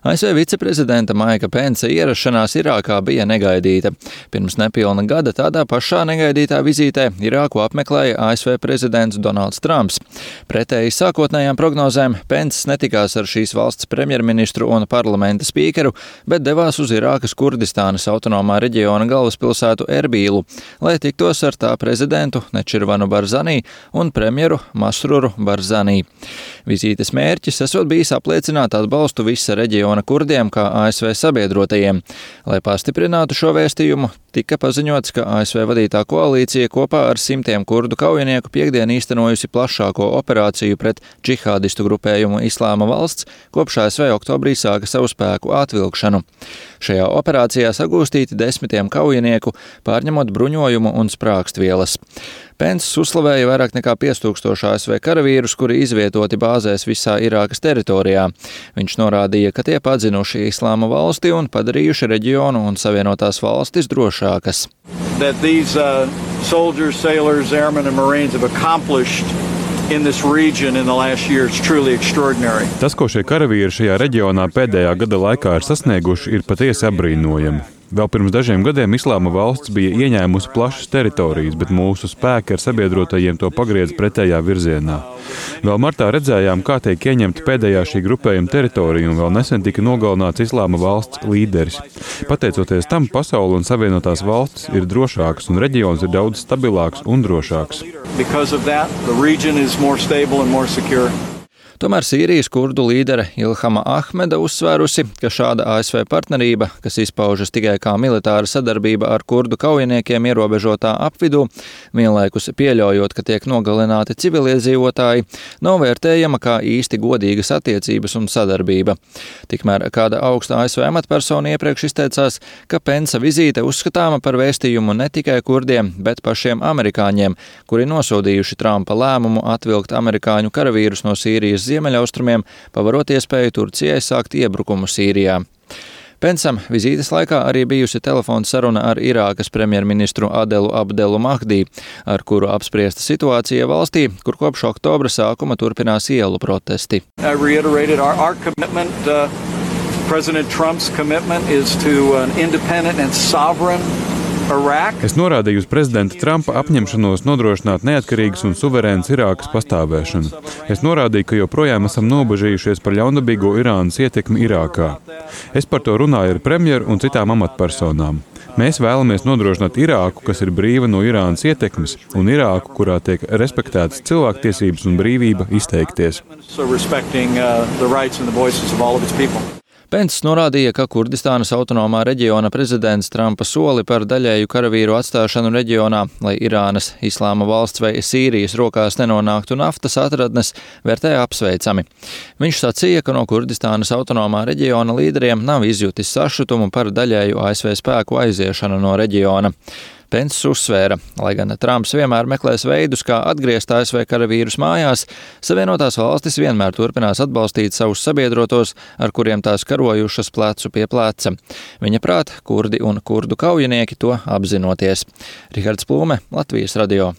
ASV viceprezidenta Maika Pensa ierašanās Irākā bija negaidīta. Pirms nepilna gada tādā pašā negaidītā vizītē Irāku apmeklēja ASV prezidents Donalds Trumps. Pretēji sākotnējām prognozēm Penss netikās ar šīs valsts premjerministru un parlamenta spīkeru, bet devās uz Irākas Kurdistānas autonomā reģiona galvaspilsētu Erbīlu, lai tiktos ar tā prezidentu Nečirvanu Barzanī un premjeru Masruru Barzanī. Vizītes mērķis esot bijis apliecināt atbalstu visa reģiona kurdiem kā ASV sabiedrotajiem. Lai pastiprinātu šo vēstījumu, tika paziņots, ka ASV vadītā koalīcija kopā ar simtiem kurdu kaujinieku piektdien īstenojusi plašāko operāciju pret džihādistu grupējumu Islāma valsts, kopš ASV oktobrī sāka savu spēku atvilkšanu. Šajā operācijā sagūstīti desmitiem kaujinieku, pārņemot bruņojumu un sprākstvielas. Penss uzslavēja vairāk nekā 5000 ASV karavīrus, kuri izvietoti bāzēs visā Irākas teritorijā. Viņš norādīja, ka tie padzinuši Islāma valsti un padarījuši reģionu un Savienotās valstis drošākas. That these soldiers, sailors, airmen and marines have accomplished in this region in the last year is truly extraordinary. Tas, ko šie karavīri šajā reģionā pēdējā gada laikā ir sasnieguši, ir patiesi apbrīnojami. Vēl pirms dažiem gadiem Islāma valsts bija ieņēmusi plašas teritorijas, bet mūsu spēki ar sabiedrotajiem to pagriez pretējā virzienā. Vēl martā redzējām, kā tiek ieņemta pēdējā šī grupējuma teritorija, un vēl nesen tika nogalināts Islāma valsts līderis. Pateicoties tam, pasaule un Savienotās valstis ir drošākas, un reģions ir daudz stabilāks un drošāks. Tomēr Sīrijas kurdu līdere Ilhama Ahmeda uzsvērusi, ka šāda ASV partnerība, kas izpaužas tikai kā militāra sadarbība ar kurdu kaujiniekiem ierobežotā apvidū, vienlaikus pieļaujot, ka tiek nogalināti civiliedzīvotāji, nav vērtējama kā īsti godīgas attiecības un sadarbība. Tikmēr kāda augsta ASV amatpersona iepriekš izteicās, ka Pensa vizīte uzskatāma par vēstījumu ne tikai kurdiem, bet pašiem amerikāņiem, kuri nosodījuši Trumpa lēmumu atvilkt amerikāņu karavīrus no Sīrijas ziemeļaustrumiem, pavarot iespēju Turcijai sākt iebrukumu Sīrijā. Pensam vizītes laikā arī bijusi telefona saruna ar Irākas premjerministru Adelu Abdelu Mahdī, ar kuru apspriesta situācija valstī, kur kopš oktobra sākuma turpinās ielu protesti. President Trump's commitment is to an independent and sovereign Iraq. Es norādīju uz prezidenta Trumpa apņemšanos nodrošināt neatkarīgas un suverēnas Irākas pastāvēšanu. Es norādīju, ka joprojām esam nobežījušies par ļaundabīgo Irānas ietekmi Irākā. Es par to runāju ar premjeru un citām amatpersonām. Mēs vēlamies nodrošināt Irāku, kas ir brīva no Irānas ietekmes, un Irāku, kurā tiek respektētas cilvēktiesības un brīvība izteikties. Penss norādīja, ka Kurdistānas autonomā reģiona prezidents Trumpa soli par daļēju karavīru atstāšanu reģionā, lai Irānas, Islāma valsts vai Sīrijas rokās nenonāktu naftas atradnes, vērtē apsveicami. Viņš sacīja, ka no Kurdistānas autonomā reģiona līderiem nav izjutis sašutumu par daļēju ASV spēku aiziešanu no reģiona. Penss uzsvēra, lai gan Trumps vienmēr meklēs veidus, kā atgriezt ASV karavīrus mājās, Savienotās valstis vienmēr turpinās atbalstīt savus sabiedrotos, ar kuriem tās karojušas plecu pie pleca. Viņa prāt, kurdi un kurdu kaujinieki to apzinoties. Rihards Plūme, Latvijas radio.